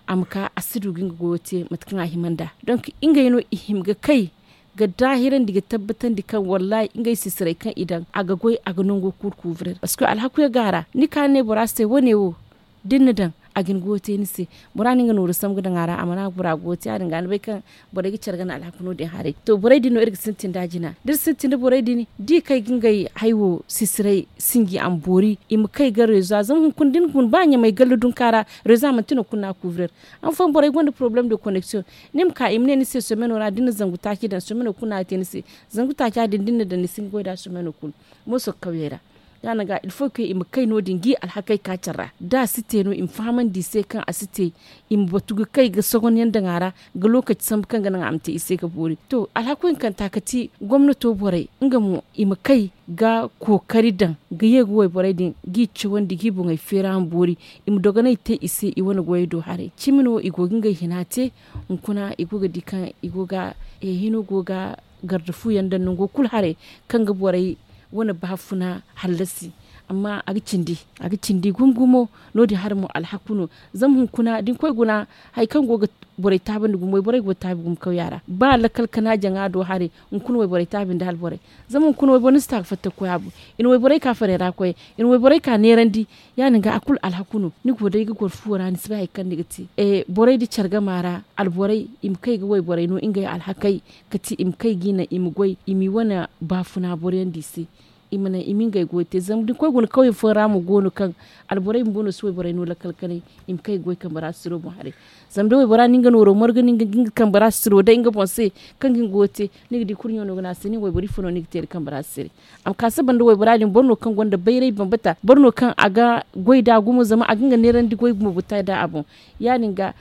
A ma ka a si du ga nga goyo te mate kaŋ a hima nd'a donk ngey no i hima ga kay ga daahirandi ga tabbatandi kaŋ wallaahi ngey sisirey kaŋ i daŋ a ga goy a ga nango kulu kuubiray. Parceque alhakuyaŋ go a ra ni ka ni ne bora se wane wo da ni na daŋ a ga ni goyo te ni se. Bora no nga nooru sambu ga daŋ a ra a mana bora goyo te ya- din ga ni bay kaŋ borey ga care gana alhaku no- din haray. To borey din no iri ga sintin da jina da iri sintin da borey din da i kay ga ngey hay wo sisiray sinji a ma boori i ma kay ga rezo ra zama hunkuna da ni guna ba ɲamay galla dunka ra. Rezo ra manti nangu kulu no a ga kuubirer. Amma fooyaŋ borey gonda porobalem de koneksiyoŋ. Ni ma ka i ma ne ni se someno ra da ni na zangu taaci daŋ someno kulu no a ga te ni se. Zangu taaca din da ni na daŋ ni si ga goy nd'a someno kulu. Mooso ga kawyey ra. Ya- din ga ilfo kaŋ i ma kay no- din ga i alhakey ka care ra da a si te no i ma fahamandi i se kaŋ a si te. I ma batu ga kay ga sogon yaŋ daŋ a ra ga lookaci sambu kaŋ ga naŋ a ma te i se ga boori to alhaku hinkanta ga ti gomnato borey nga mo i ma kay ga kookari daŋ ga ye ga wayborey din ga i cawandi ga i boŋey feeri a ma boori. I ma dogonay te i se i wane goyey do haray cimi no i go ga ngey hina te. Hunkuna i go ga di kaŋ i go ga hino go ga garda fu yaŋ daŋ nango kulu haray kaŋ ga borey wane baafuna hallasi. Amma a ga cindi a ga cindi gumo gumo. No- din haray mo alhaku no. Zama hunkuna da ni koy guna hari kaŋ go ga borey taabandi gumo wayborey go ga taabi gumo kawya ra ba lakkal kana jaŋa do haray. Hunkuna wayborey taabi nda hala borey zama hunkuna wayboro ni si ta ga fatta ga koy a boŋ. I na wayborey ka farey ra koyey i na wayborey ka neerandi. Ya- din ga a kulu alhaku no ni go day ga goro fuwo ra ni si bay hari kaŋ ni ga te. Borey nda care gama ra alborey i ma kay ga wayborey no ngey alhakey ga ti i ma kay ga i naŋ i ma goy i m'i wane baafuna boroyaŋ da i se. I ma naŋ i ma ngey goyo te zama da ni koy guna kawye fooyaŋ ra mo go no kaŋ alborey bumbo no si wayborey no lakkal kanay. I ma kay ga goy kambe ra sisiro boŋ haray. Zama da waybora na nga nooro margu no nga ga nga kambe ra sisiro day nga boŋ se kaŋ ga nga goyo te ni ga di kurɲo no ga ne a se nin wayboro ifo no ni ga te nda kambe ra sisirey. A ma ka saba nda waybora din boro no kaŋ gonda bayray bambata boro no kaŋ a ga goy nd'a gumo zama a ga nga neerandi goy bumbo ga ta nd'a a boŋ. Ya- din ga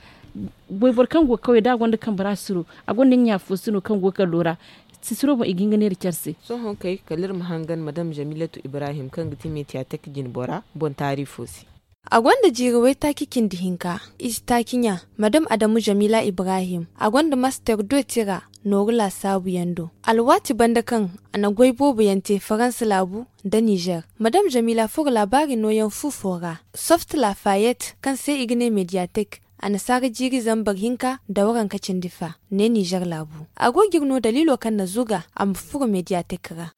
wayboro kaŋ go ga kawye da a gonda kambe ra sisiro a gonda nga ɲa fo se no kaŋ go ga kalo ra. Sisiro boŋ i ga hin ga neera care se. Sohõ kay kala iri ma hangan madam jamilatu ibrahim kaŋ ga ti mediatek jinbora boŋ taari fo se. A gonda jiiri waytaaci cindi hinka. Ize taaci ɲa madam adamu jamila ibrahim a gonda master do tira nooru laasaabu yaŋ do. Alwaati banda kaŋ a na goy boobo yaŋ te faransa laabu nda nizer madam jamila furo laabaari nooyaŋ fu fo ra. Soft lafayet kaŋ se i ga ne mediatek annasaara jiiri zambar hinka nda waranka cindi fa ne nizer laabu. A go ga iri no daliilo kaŋ na zuga a ma furo mediatek ra.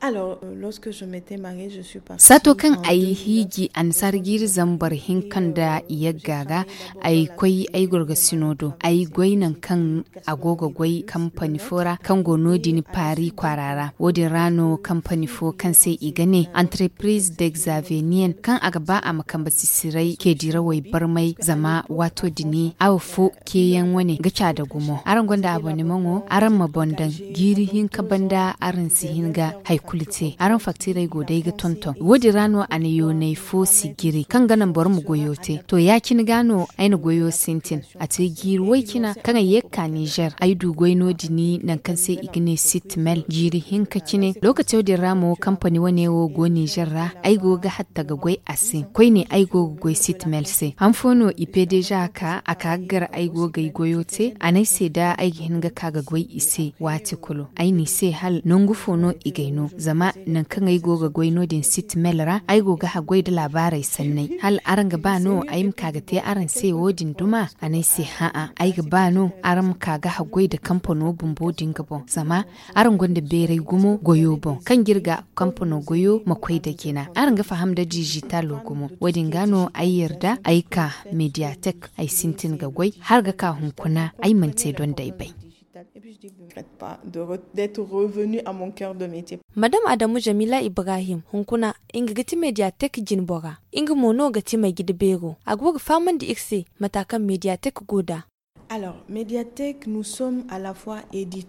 Saato kaŋ ay hiiji annasaara jiiri zambar hinka nda iyagga ra, ay koy ay gorgasino do ay goy nangu kaŋ a go ga goy kampani fo ra kaŋ go no- din paari kwaara ra. Wo- din ra no kampani fo kaŋ se i ga ne entreprise d'exavenien kaŋ a ga ba a ma kambe sisiray ceedirawey barmay zama waato din awa fo ceeyaŋ wane ga caada gumo araŋ gonda abonemaŋo araŋ ma boŋ daŋ jiiri hinka banda araŋ si hin ga hari kulu te araŋ faktiirey go day ga tonton wo- din ra no a na yoonay fo sijiri kaŋ ga naŋ boro ma goyo te to ya- cine ga no ay na goyo sintin. A te jiiri way cina kaŋ ay ye ga ka nizer ay du goy no- din nangu kaŋ se i ga ne sitmel jiiri hinka cine lookaco din ra mo kampani wane wo go nizer ra ay go ga hatta ga goy a se koyne ay go ga goy sitmel se han fo no i pe deeza ka a ka ga gar ay go ga ay goyo te a ne ay se da ay ga hin ga ka ga goy i se waati kulu ay ne i se hala nangu fo no i ga ay no zama nangu kaŋ ay go ga goy no- din sitmel ra ay go ga haggoy nda laabaarey sanney hala araŋ ga ba no ay ma ka ga te araŋ se wo- din duma a ne ay se ha'a ay ga ba no araŋ ma ka ga haggoy nda kampano bumbo din ga boŋ zama araŋ gonda beeray gumo goyo boŋ kaŋ ga iri ga kampano goyo ma koy nda jina araŋ ga faham nda dizitalo gumo wo- din ga no ay yarda ay ka mediatek ay sintin ga goy hala ga ka hunkuna ay mana te donday bay. Madam adamu jamila ibrahim hunkuna nga ga ti mediatek jinbora nga mo no ga ti may gida beero a go ga fahamandi iri se mata kaŋ mediatek go nd'a.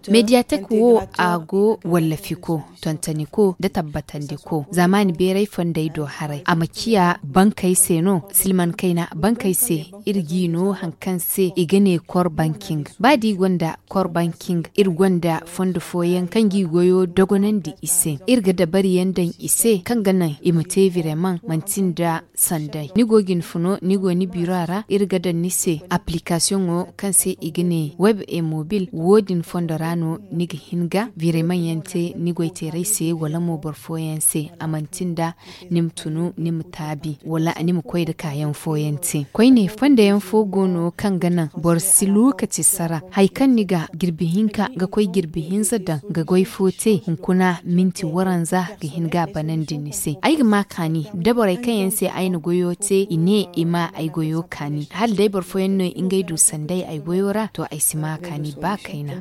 Mediatek wo a go wallafi ko tontoni ko nda tabbatandi ko zaamaani beeray fondey do haray a ma ciya bankey se no silman kayna bankey se iri g'i no hari kaŋ se i ga ne kor banking ba da i gonda kor banking iri gonda fondo fooyaŋ kaŋ g'i goyo dogonandi i se iri ga dabariyaŋ daŋ i se kaŋ ga naŋ i ma te vireman manti nda sanday ni go ga ni funo ni go ni biro a ra iri ga daŋ ni se aplikasiyoŋo kaŋ Se i ga ne web e mobil wo- din fondo ra no ni ga hin ga bireman yaŋ te ni goy teeray se wala mo boro fooyaŋ se a manti nda ni ma tunu ni ma taabi wala ni ma koy nda kaayaŋ fooyaŋ te koyne fondo yaŋ fo go no kaŋ ga naŋ boro si lookaci sara hari kaŋ ni ga jirbi hinka ga koy jirbi hinza daŋ ga goy fo te hunkuna minti waranza ga hin ga a banandi ni se ay ga ma kaani da borey kaŋ yaŋ se ay na goyo te i ne i ma ay goyo kaani hala day boro fooyaŋ no ngey du sanday ay goyo ra to ay si ma kaani ba kayna.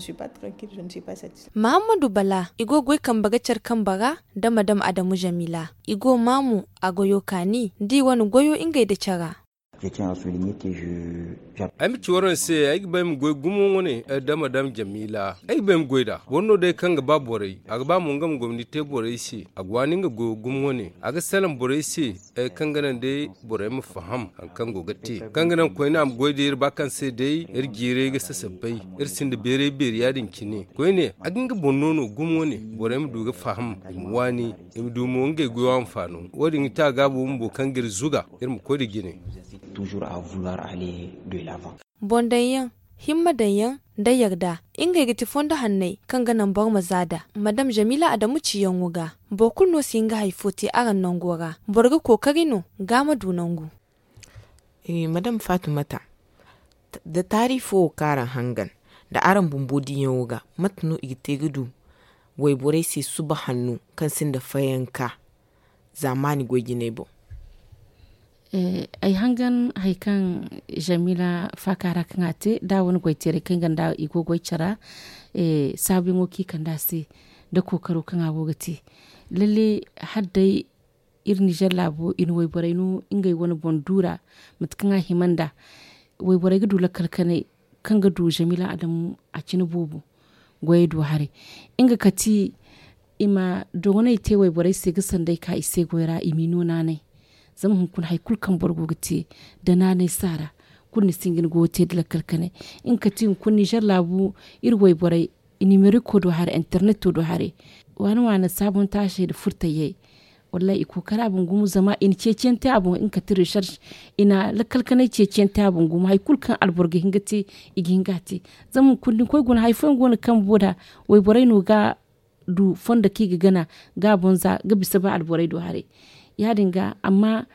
Mahammadu bala i go ga goy kambe ga care kambe ra nda madam adamu jamila i go maamu a goyo kaani nda i wane goyo ngey nda cara. Ay ma ci waraŋ se ay ga ba ay ma goy gumo wane nda madam jamila ay ga ba ay ma goy nd'a boro no day kaŋ ga ba borey a ga ba mo nga ma gomni te borey se a ga waani nga goyo gumo wane a ga salaŋ borey se kaŋ ga naŋ day borey ma faham hari kaŋ go ga te kaŋ ga naŋ koyne a ma goy day iri ba kaŋ se day iri jiiray ga sasabbay iri sinda beeray beeri ya- din cine koyne a ga nga boŋ no no gumo wane borey ma du ga faham i ma waani i ma du mo ngey goyo hanfaano wo- din ga te a gaabo bumbo kaŋ ga iri zuga iri ma koy nda jine. Boŋ daŋ yaŋ himma daŋ yaŋ nda yarda ngey ga ti fondo hanney kaŋ ga naŋ boro ma za nd'a madam jamila adamu ciyaŋo ga boro kulu no si hin ga hari fo te araŋ nango ra boro ga kookari no ga a ma du nangu. Madam fatumata da taari fo wo kaŋ araŋ hangan nda araŋ bumbo diiyaŋo ga mate no i ga te ga du wayborey se suba hanno kaŋ sinda fayanka zaamaani goy jinay boŋ. Ay hangan hari kaŋ jamila faaka ra kaŋ a te da a wane goy teeray kaŋ ay gonda i go goy care ra saabuyaŋo kaŋ i kande a se nda kookaro kaŋ a go ga te lalle hala day iri nizer laabo i na wayborey no ngey wane boŋ du ra mate kaŋ a hima nd'a wayborey ga du lakkal kanay kaŋ ga du jamila adamu a cine boobo goyey du haray nga kati i ma dogoney te wayborey se ga sanday ka i se goy ra i m'i no naanay zama hunkuna hari kulu kaŋ boro go ga te nda naanay saara kulu ni si hin ga ni goyo te nda lakkal kanay nga kati hunkuna nizer laabu iri wayborey i nimeriko do haray interneto do haray waana waana saabuntaasey nda furtayey wallaahi i kookara boŋ gumo zama i na ceeciyaŋ te a boŋ nga kati resers i na lakkal kanay ceeciyaŋ te a boŋ gumo hari kulu kaŋ alboro ga hin ga te i ga hin ga a te zama hunkuna da ni koy guna hari fooyaŋ go no kaŋ bumbo nd'a wayborey no ga du fondo kaŋ i ga gana ga a boŋ za ga bisa ba alborey do haray ya- din ga amma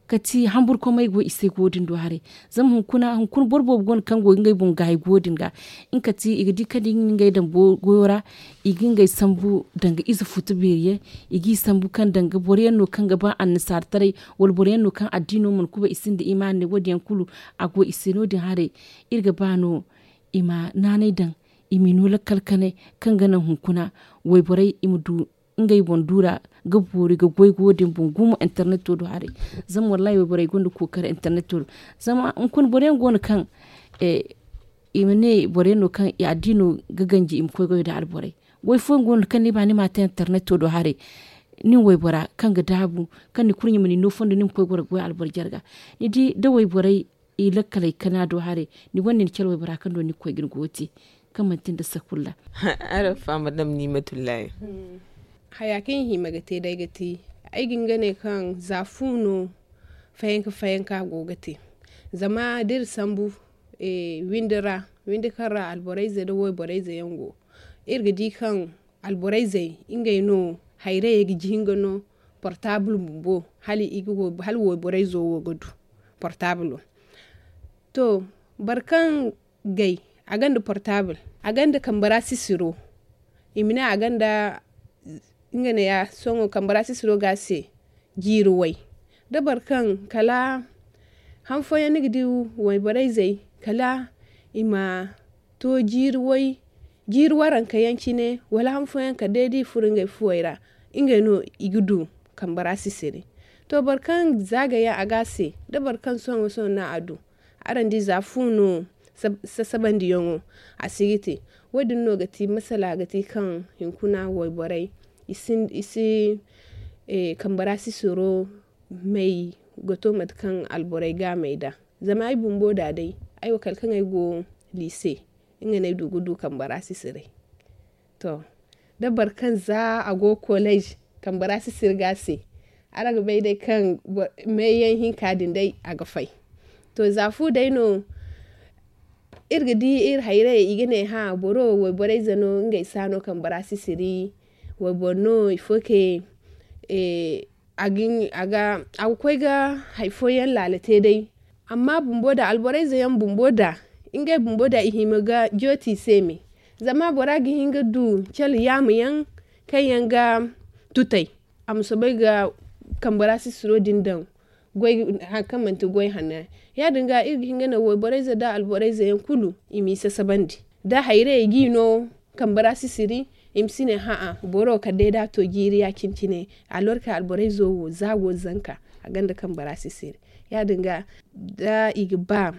kati hamburkomey go i se go din do haray zama hunkuna hunkuna boro boobo go no kaŋ go ga ngey boŋ gaayi go din ga nga kati i ga di kaŋ da i ga ngey daŋ goyo ra i ga ngey sambu danga ize futu beeri yaŋ i g'i sambu kaŋ danga boro yaŋ no kaŋ ga ba annasaara taray wala boro yaŋ no kaŋ addiino mana kubay i sinda imaani ne wo- din yaŋ kulu a go i se no- din haray iri ga ba no i ma naanay daŋ i m'i no lakkal kanay kaŋ ga naŋ hunkuna wayborey i ma du ngey boŋ du ra ga boori ga goy go din boŋ gumo interneto do haray zama wallaahi wayborey gonda kookari interneto do zama hunkuna boro yaŋ go no kaŋ i ma ne boro yaŋ no kaŋ i addiino ga ganji i ma koy goyo nda alborey goy fooyaŋ go no kaŋ ni ba ni m'a te interneto do haray nin waybora kaŋ ga daabu kaŋ ni kurɲe ma ni no fondo ni ma koy goro ga goy alboro jarga ni di da wayborey i lakkaley kana do haray ni gonda ni care waybora kaŋ do ni ga koy ga ni goyo te kaŋ manti nda sakulla. Araŋ faama dam nimatullahi. Haya kaŋ i hima ga te day ga ti ay ga hin ga ne kaŋ za fu no fayanka fayanka go ga te zama da iri sambu windi ra windi kaŋ ra alborayze nda wayborayze yaŋ go iri ga di kaŋ alborayzey ngey no hayrayey ga jihin ga no portabul bumbo hala wayborayzo wo ga du portabulo. To boro kaŋ gay a gonda portabul a gonda kambe ra sisiro i ma ne a gonda nga ne ya sohõ kambe ra sisiro ga a se jiiri way da boro kaŋ kala han fooyaŋ ni ga di wayborayzey kala i ma to jiiri way jiiri waranka yaŋ cine wala han fooyaŋ kala day da i furo ngey fuwey ra ngey no i ga du kambe ra sisiri. To boro kaŋ zaagay yaŋ a ga a se da boro kaŋ sohõ sohõ no a du araŋ di za fu no sasabandiyaŋo a si ga te. Wo- din no ga ti masala ga ti kaŋ hinkuna wayborey i si kambe ra sisiro may ga to mate kaŋ alborey ga a may nd'a. Zama ay bumbo da day ay wo kala kaŋ ay go liise nga no ay du ga du kambe ra sisiray. To da boro kaŋ za a go kolej kambe ra sisiri ga a se araŋ ga bay day kaŋ meeyaŋ hinka din day a ga fay. To za fu day no Iri ga di iri hayrayey i ga ne hã boro wayborey ze no ngey si a no kambe ra sisiri. Wayboro no ifo ke a ga koy ga hari fooyaŋ laala te day. Amma bumbo da alborey ze yaŋ bumbo da ngey bumbo da i hima ga jooti i se me. Zama bora ga hin ga du cala yaama yaŋ kaŋ yaŋ ga tutay a ma soobay ga kambe ra sisiro din daŋ hari kaŋ manti goy hanno yaŋ. Ya- din ga iri ga hin ga naŋ wayborey ze nda alborey ze yaŋ kulu i m'i sasabandi da hayrayey g'i no kambe ra sisiri. I ma si ne hã'a boro kala day da a to jiiri ya- cine cine. Alorka alborey zo wo za go zanka a gonda kambe ra sisiri. Ya- din ga da i ga ba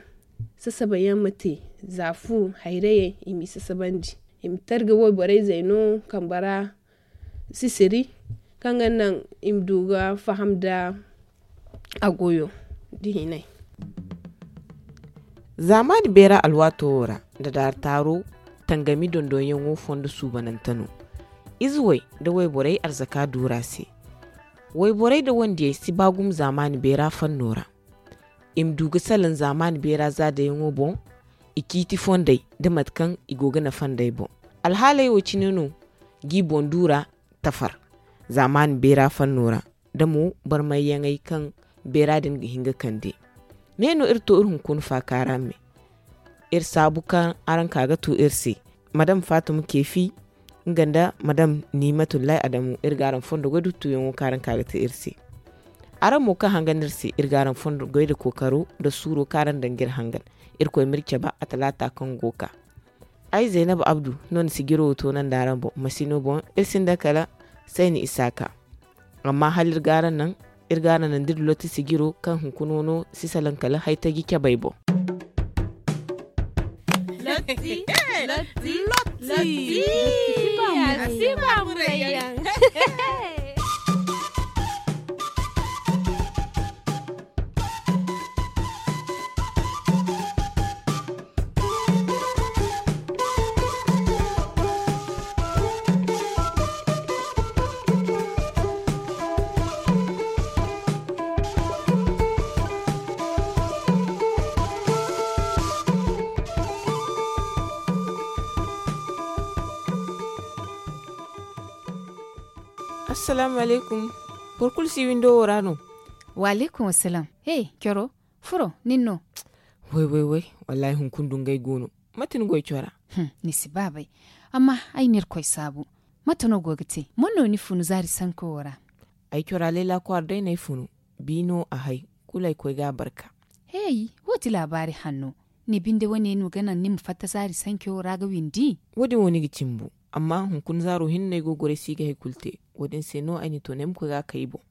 sasaba yaŋ ma te za fu hayrayey i m'i sasabandi. I ma targa wayborey zey no kambe ra sisiri kaŋ ga naŋ i ma du ga faham nda a goyo nda hinay. Zaamaani beera alwaato wo ra nda daari taaro tangami dondonyaŋo fondo suubanante no. Ize way nda wayborey arzaka duura se. Wayborey nda wandiyey si ba gumo zaamaani beera fanno ra. I ma du ga salaŋ zaamaani beera zaadayaŋo boŋ i ciiti fondey nda mate kaŋ i go ga nafa nd'ey boŋ. Alhaaley wo cine no g'i boŋ duura tafar zaamaani beera fanno ra nda mo barmayyaŋey kaŋ beera din ga hin ga kande. Ne no iri to iri hunkuna faakaara me. Iri saabu kaŋ araŋ ka ga tu iri se madam faatuma keefi nga nda madam nimatullahi adamu iri ga araŋ fondo goy duttuyaŋo kaŋ araŋ ka ga te iri se. Araŋ mo kaŋ hangan iri se iri ga araŋ fondo goy nda kookaro nda suuro kaŋ araŋ daŋ ga iri hangan. Irkoy m'iri cabe a talaata kaŋ go ga ka. Ay zaynab abdu no na sijiro wo toonandi araŋ boŋ masino boŋ iri sinda kala sayni isaaka. Amma hala iri ga araŋ naŋ iri ga araŋ naŋ da iri lotti sijiro kaŋ hunkuna wano si salaŋ kala haytaji cabey boŋ. Lotti. Lotti. Lotti. Lotti. Lotti. Lotti. Lotti. Lotti. Lotti. Lotti. Lotti. Assalaamu alaykum. Boro kulu si windo wo ra no? Wa alaykum assalaam. He, coro furo nin no? Way way way. Wallaahi hunkuna dungay go no. Mate ni goy cora? Ni si ba bay. Amma ay n'irkoy saabu. Mate no go ga te man no ni funu zaari sanko wo ra? Ay cora layla kwaara day no ay funu. Bi no a hay. Kulu ay koy ga a barka. Hey, wo ti laabaari hanno. Ni binde wane no ga naŋ ni ma fatta zaari sanko wo ra ga windi? Wo- din wo ni ga cimbu. Amma hunkuna zaaro hinne no ay go ga goray si ga hay kulu te. Wo- din se no ay na ni to no ay ma koy ga a kay boŋ.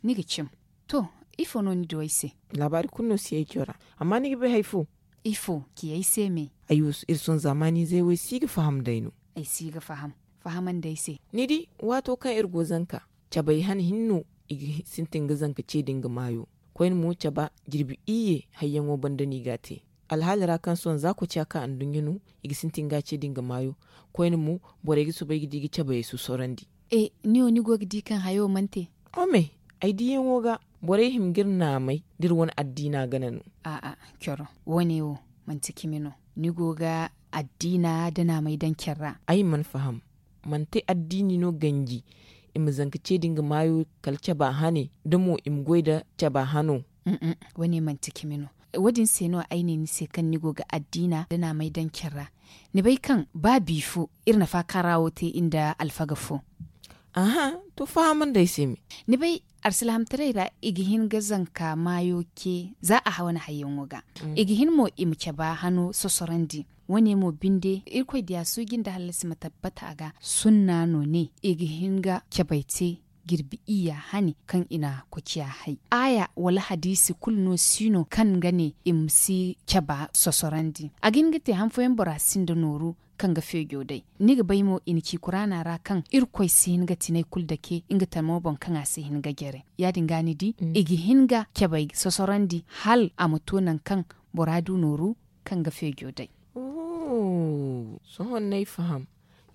Ni ga cim. To, ifo no ni du ay se? Laabaari kulu no si ay cora. Amma ni ga bay hari fo? Ifo ci ay se me? Ay wo iri sohõ zaamaaniizey wo ay si ga faham day no. Ay si ga faham. Fahamandi ay se. Ni di, waato kaŋ iri go zanka, cabay hane hinne no i ga sintin ga zanka ce din ga maayo. Koyne mo caba jirbi iyye hayyaŋo banda no i ga a te. Alhaali ra kaŋ sohõ za koociya ka anduɲɲa no, i ga sintin ga a ce din ga maayo. Koyne mo, borey ga soobay ga di ga cabayey sosorandi. E, ni wo ni go ga di kaŋ hayo mana te? Ome, ay diyaŋo ga, borey hima ga iri naamay da iri wane addiina gana no. A'a, coro, wo- ne wo, manti cimi no. Ni go ga addiina nda naamay daŋ care ra? Ay mana faham. Manti addiini no ganji i ma zanka ce din ga maayo kala caba hane da mo i ma goy nda caba hano? Wo- ne manti cimi no. Wo- din se no ay ne ni se kaŋ ni go ga addiina nda naamay daŋ care ra. Ni bay kaŋ ba bi fo iri na faakaara wo te iri nda alfaga fo? Aha, to fahamandi ay se me. Ni bay, alsilaamataray ra i ga hin ga zanka maayo ce za a wane hayyaŋo ga. I ga hin mo i ma caba hano sosorandi. Wo- ne mo binde irkoy diya suuji nda hallasi ma tabbata a ga. Sunna no ne i ga hin ga cabay te jirbi iyya hane kaŋ i na koociya hay. Aaya wala hadiisi kulu no si no kaŋ ga ne i ma si caba sosorandi. A ga hin ga te han fooyaŋ bora sinda nooru kaŋ ga feejo day. Ni ga bay mo i na ci kuraana ra kaŋ irkoy si hin ga tinay kulu dake nga tamo boŋ kaŋ a si hin ga jare. Ya- din ga ni di i ga hin ga cabay sosorandi hala a ma to nangu kaŋ bora du nooru kaŋ ga feejo day. Sohõ no ay faham.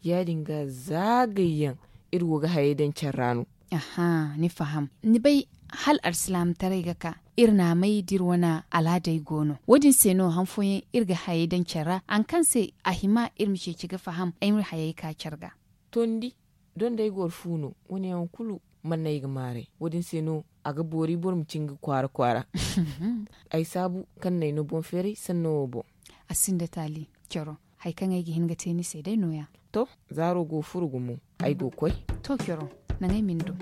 Ya- din ga zaagayyaŋ iri go ga hayey daŋ care ra no. Aha, ni faham. Ni bay, hala alsilaamataray ga ka iri naamey da iri wane alaadey go no. Wo- din se no han fooyaŋ iri ga hayey daŋ care ra, hari kaŋ se a hima iri ma ceeci ga faham ay ma hayey ka care ga. Tondi dondey goro fu no. Wo- ne yaŋ kulu mana no ay ga maaray. Wo- din se no a ga boori boro ma cin ga kwaara kwaara. Ay saabu kaŋ no ay no boŋ feeray sanno wo boŋ. A sinda taali. Coro, hari kaŋ ay ga hin ga te ni se day no- ya. To, zaaro go furo gumo. Ay go ga koy. To, coro, naŋ ay ma ni du.